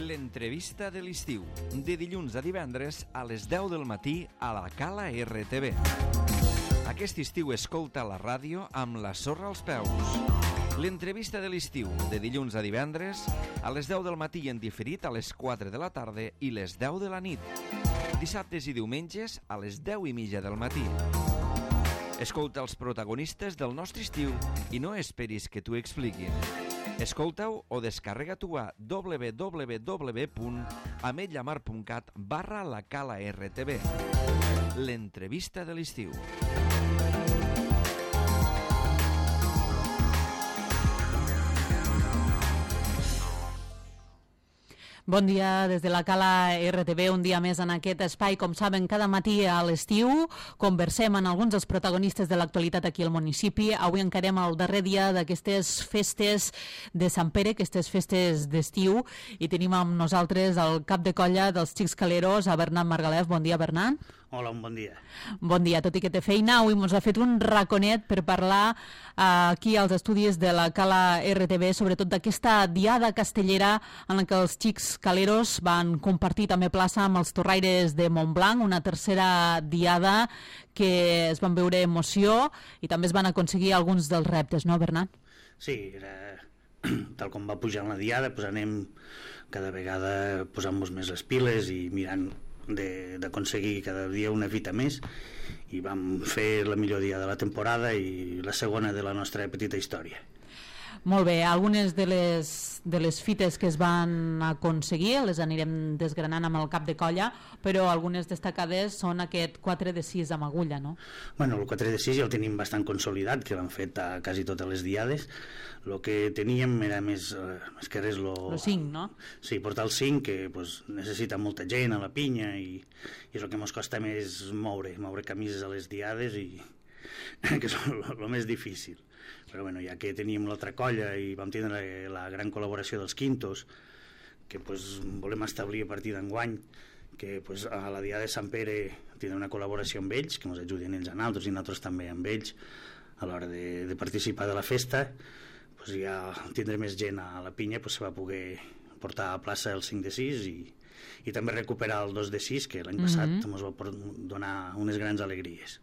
L'entrevista de l'estiu, de dilluns a divendres a les 10 del matí a la Cala RTV. Aquest estiu escolta la ràdio amb la sorra als peus. L'entrevista de l'estiu, de dilluns a divendres a les 10 del matí i en diferit a les 4 de la tarda i les 10 de la nit. Dissabtes i diumenges a les 10:30 del matí. Escolta els protagonistes del nostre estiu i no esperis que t'ho expliquin. Escolta-ho o descarrega-t'ho a www.ametlamar.cat/la Cala RTV. L'entrevista de l'estiu. Bon dia des de la Cala RTV, un dia més en aquest espai. Com saben, cada matí a l'estiu conversem amb alguns dels protagonistes de l'actualitat aquí al municipi. Avui encarem el darrer dia d'aquestes festes de Sant Pere, aquestes festes d'estiu, i tenim amb nosaltres el cap de colla dels Xics Caleros, a Bernat Margalef. Bon dia, Bernat. Hola, un bon dia. Què dia, tot i que té feina, avui ens ha fet un raconet per parlar aquí als estudis de la Cala RTV, sobretot d'aquesta diada castellera en la que els Xics Caleros van compartir també plaça amb els torraires de Montblanc, una tercera diada que es van veure emoció i també es van aconseguir alguns dels reptes, no, Bernat? Sí, era tal com va pujar la diada, doncs anem cada vegada posant-nos més les piles i mirant d'aconseguir cada dia una fita més, i vam fer la millor dia de la temporada i la segona de la nostra petita història. Molt bé, algunes de les fites que es van aconseguir les anirem desgranant amb el cap de colla, però algunes destacades són aquest 4 de 6 amb agulla, no? Bueno, el 4 de 6 ja el tenim bastant consolidat, que l'han fet a quasi totes les diades. El que teníem era més que res el 5, no? Sí, portar el 5, que pues, necessita molta gent a la pinya i és el que ens costa més moure camises a les diades, i que és el més difícil. Però bueno, ja que teníem l'altra colla i vam tindre la gran col·laboració dels Quintos, que pues, volem establir a partir d'enguany, que pues, a la Diada de Sant Pere tindrem una col·laboració amb ells, que ens ajudin ells a nosaltres i nosaltres també amb ells a l'hora de participar de la festa. Pues ja tindré més gent a la pinya, pues se va poder portar a plaça el 5 de 6 i també recuperar el 2 de 6, que l'any passat ens va donar unes grans alegries.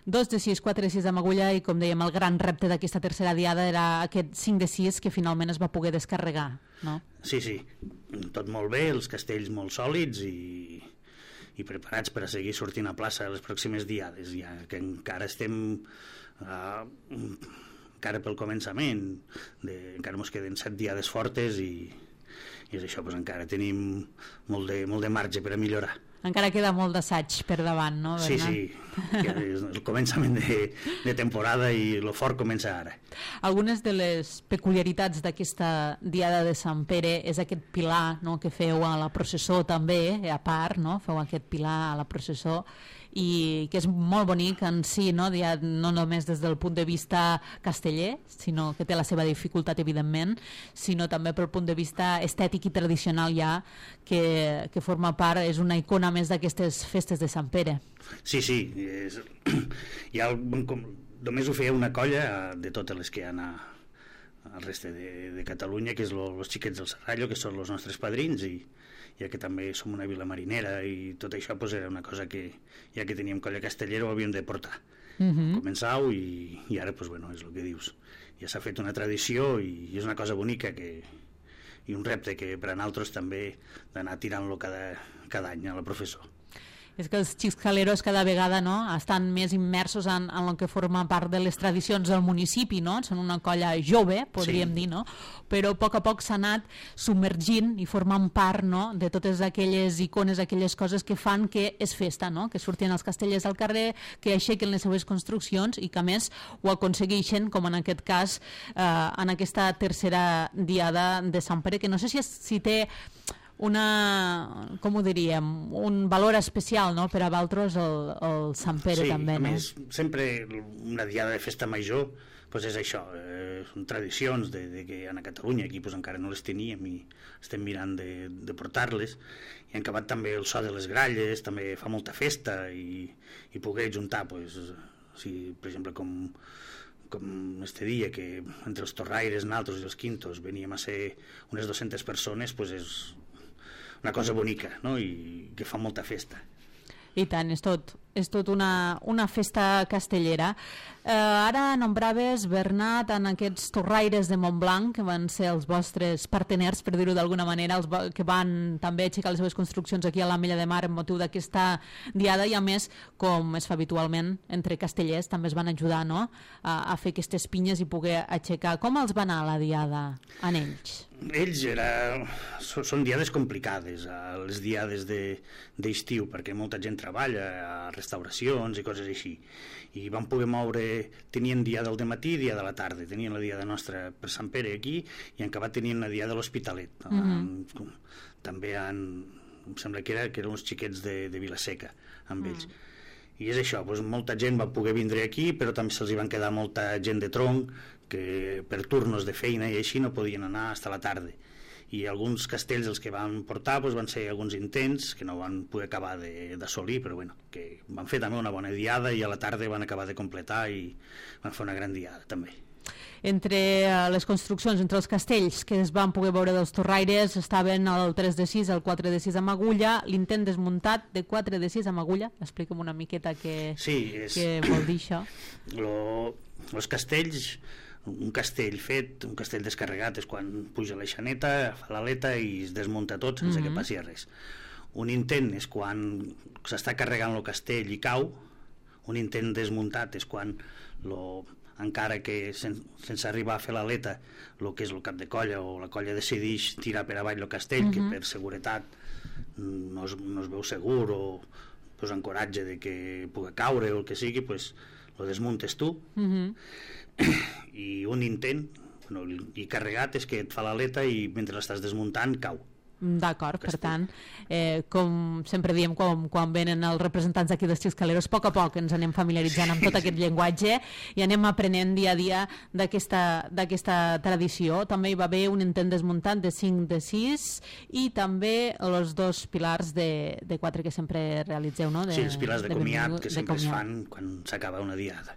2 de 6, 4 de 6 amb agulla, i com dèiem, el gran repte d'aquesta tercera diada era aquest 5 de 6 que finalment es va poder descarregar, no? Sí, tot molt bé, els castells molt sòlids i preparats per a seguir sortint a plaça les pròximes diades, ja que encara estem encara pel començament, encara ens queden 7 diades fortes i és això, doncs encara tenim molt de marge per a millorar. Encara queda molt d'assaig per davant, no, Bernat? Sí, que és el començament de temporada i el fort comença ara. Algunes de les peculiaritats d'aquesta Diada de Sant Pere és aquest pilar, no?, que feu a la processó també, a part, no?, feu aquest pilar a la processó, i que és molt bonic en si, no?, no només des del punt de vista casteller, sinó que té la seva dificultat, evidentment, sinó també pel punt de vista estètic i tradicional ja, que forma part, és una icona més d'aquestes festes de Sant Pere. Sí, només ho feia una colla de totes les que hi ha al reste de Catalunya, que és els xiquets del Serrallo, que són els nostres padrins, i ja que també som una vila marinera i tot això, pues, era una cosa que ja que teníem colla castellera ho havíem de portar. Començau i ara pues, bueno, és el que dius, ja s'ha fet una tradició i és una cosa bonica i un repte que per a nosaltres també d'anar tirant-lo cada any a la professó. És que els Xics Caleros cada vegada, no?, estan més immersos en el que forma part de les tradicions del municipi, no? Són una colla jove, podríem dir, no? Però a poc s'ha anat submergint i formant part, no?, de totes aquelles icones, aquelles coses que fan que és festa, no?, que surtin els castellers al carrer, que aixequen les seves construccions i que a més ho aconsegueixen, com en aquest cas en aquesta tercera diada de Sant Pere, que no sé si té com ho diríem, un valor especial, no?, per a vosaltres el Sant Pere, també, no? Sí, a més, sempre una diada de festa major pues és això, són tradicions que a Catalunya aquí pues, encara no les teníem i estem mirant de portar-les, i han acabat també el so de les gralles, també fa molta festa i poder juntar pues, per exemple com este dia, que entre els torraires, nosaltres i els Quintos veníem a ser unes 200 persones, pues una cosa bonica, no? I que fa molta festa. I tant, és tot una festa castellera. Ara nombraves, Bernat, en aquests torraires de Montblanc, que van ser els vostres parteners, per dir-ho d'alguna manera, que van també aixecar les seves construccions aquí a l'Ametlla de Mar en motiu d'aquesta diada, i a més, com es fa habitualment entre castellers, també es van ajudar, no?, a fer aquestes pinyes i poder aixecar. Com els va anar la diada en ells? Ells són diades complicades, les diades d'estiu, perquè molta gent treballa a restauracions i coses així, i van poder moure, tenien diada al dematí i dia de la tarda, tenien la diada nostra per Sant Pere aquí, i en acabat tenien la diada a l'Hospitalet. També em sembla que eren uns xiquets de Vilaseca amb ells. I és això, molta gent va poder vindre aquí, però també se'ls van quedar molta gent de tronc que per turnos de feina i així no podien anar fins a la tarda. I alguns castells els que van portar van ser alguns intents que no van poder acabar d'assolir, però bueno, que van fer també una bona diada i a la tarda van acabar de completar i van fer una gran diada també. Entre les construccions, entre els castells que es van poder veure dels torraires, estaven el 3 de 6, el 4 de 6 amb agulla, l'intent desmuntat de 4 de 6 amb agulla. Explica'm una miqueta què vol dir això. Els castells, un castell fet, un castell descarregat és quan puja la xaneta, fa l'aleta i es desmunta tot sense que passi res. Un intent és quan s'està carregant el castell i cau. Un intent desmuntat és quan encara que sense arribar a fer l'aleta, el que és el cap de colla o la colla decideix tirar per avall el castell, que per seguretat no es veu segur o encoratge de que pugui caure o el que sigui, lo desmuntes tu. I un intent i carregat és que et fa l'aleta i mentre l'estàs desmuntant cau. D'acord, per tant, com sempre diem quan venen els representants d'aquí dels Xiscaleros, a poc ens anem familiaritzant amb tot aquest llenguatge i anem aprenent dia a dia d'aquesta tradició. També hi va haver un intent desmuntat de 5 de 6 i també els 2 pilars de 4 que sempre realitzeu, no? Sí, els pilars de comiat que sempre es fan quan s'acaba una diada.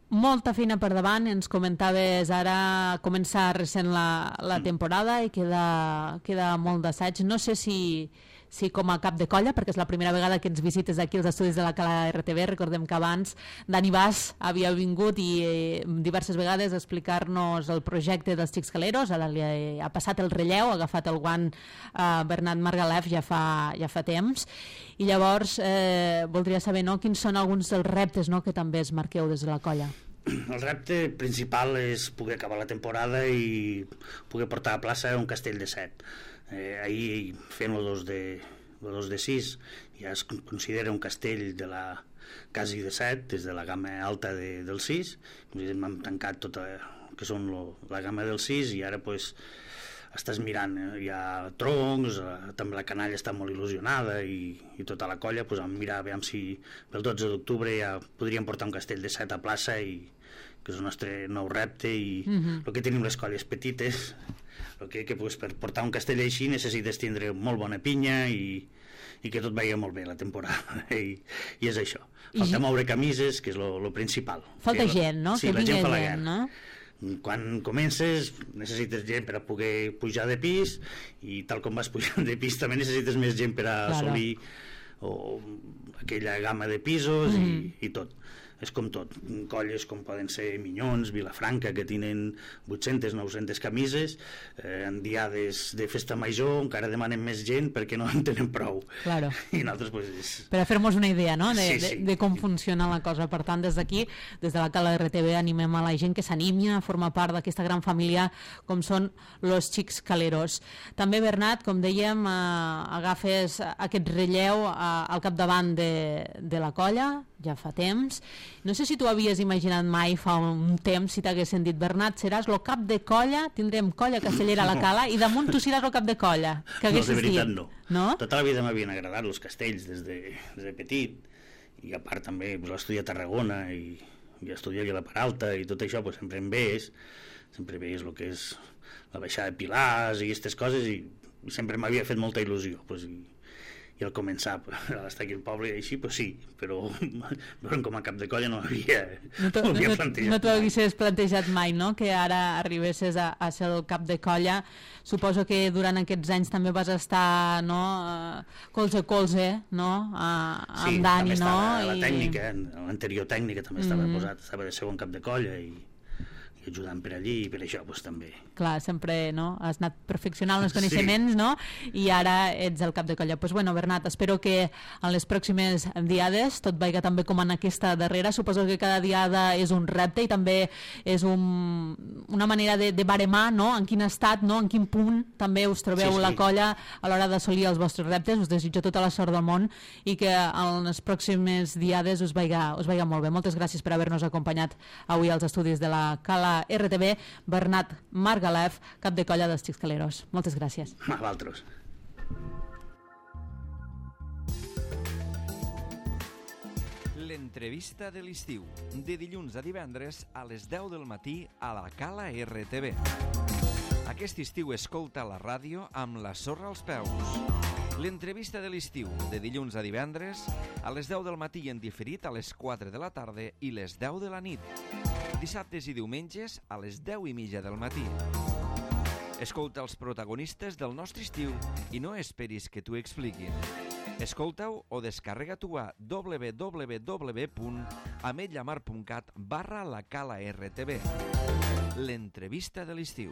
Molta feina per davant, ens comentaves ara començar recent la temporada i queda molt d'assaig. No sé si com a cap de colla, perquè és la primera vegada que ens visites aquí als estudis de la Cala RTV. Recordem que abans Dani Bas havia vingut i diverses vegades a explicar-nos el projecte dels Xiscaleros. Ara li ha passat el relleu, ha agafat el guant Bernat Margalef ja fa temps, i llavors voldria saber quins són alguns dels reptes que també es marqueu des de la colla. El repte principal és poder acabar la temporada i poder portar a plaça un castell de 7. Ahir fent el 2 de 6 ja es considera un castell quasi de 7, des de la gamma alta del 6. Hem tancat tota que són la gamma del 6 i ara estàs mirant, hi ha troncs, també la canalla està molt il·lusionada i tota la colla vam mirar a veure si pel 12 d'octubre ja podríem portar un castell de 7 a plaça, que és el nostre nou repte, i el que tenim les colles petites, que per portar un castell així necessites tindre molt bona pinya i que tot vagi molt bé la temporada, i és això. Falta moure camises, que és el principal. Falta gent, no? Sí, la gent fa la guerra, no? Quan comences necessites gent per a poder pujar de pis, i tal com vas pujant de pis també necessites més gent per a assolir aquella gamma de pisos i tot. És com tot, colles com poden ser Minyons, Vilafranca, que tenen 800, 900 camises, en diades de festa major encara demanen més gent perquè no en tenen prou. Claro. I nosaltres per a fer-nos una idea, no?, de com funciona la cosa. Per tant, des d'aquí, des de la Cala RTV, animem a la gent que s'animi a formar part d'aquesta gran família com són los Xiscaleros. També, Bernat, com dèiem, agafes aquest relleu al capdavant de la colla, ja fa temps. No sé si tu havies imaginat mai fa un temps, si t'haguessin dit: Bernat, seràs el cap de colla, tindrem colla castellera a la Cala i damunt tu seràs el cap de colla. No, de veritat no. Tota la vida m'havien agradat els castells des de petit, i a part també vaig estudiar a Tarragona i estudiar a la Peralta i tot això, sempre em veies el que és la baixada de Pilars i aquestes coses, i sempre m'havia fet molta il·lusió, i al començar estar aquí al poble i així, pues sí, però com a cap de colla no havia plantejat. No t'ho haguessis plantejat mai, no?, que ara arribessis a ser el cap de colla. Suposo que durant aquests anys també vas estar, no, colze a colze, no?, amb Dani, no? Sí, també estava la tècnica, l'anterior tècnica també estava posat, estava de segon cap de colla i ajudant per allí i per això pues, també. Clar, sempre, no?, has anat perfeccionant els coneixements, no?, i ara ets el cap de colla. Pues bueno, Bernat, espero que en les pròximes diades tot vagi també com en aquesta darrera. Suposo que cada diada és un repte i també és una manera de baremar, no?, en quin estat, no?, en quin punt també us trobeu la colla a l'hora d'assolir els vostres reptes. Us desitjo tota la sort del món i que en les pròximes diades us vagi molt bé. Moltes gràcies per haver-nos acompanyat avui als estudis de la Cala RTV. Bernat Margalef, cap de colla dels Xiscaleros. Moltes gràcies. A vosaltres. L'entrevista de l'estiu, de dilluns a divendres a les 10 del matí a la Cala RTV. Aquest estiu escolta la ràdio amb la sorra als peus. L'entrevista de l'estiu, de dilluns a divendres a les 10 del matí i en diferit a les 4 de la tarda i les 10 de la nit. Dissabtes i diumenges a les 10:30 del matí. Escolta els protagonistes del nostre estiu i no esperis que t'ho expliquin. Escolta-ho o descarrega-t'ho a www.ametlllamar.cat/la Cala RTV. L'entrevista de l'estiu.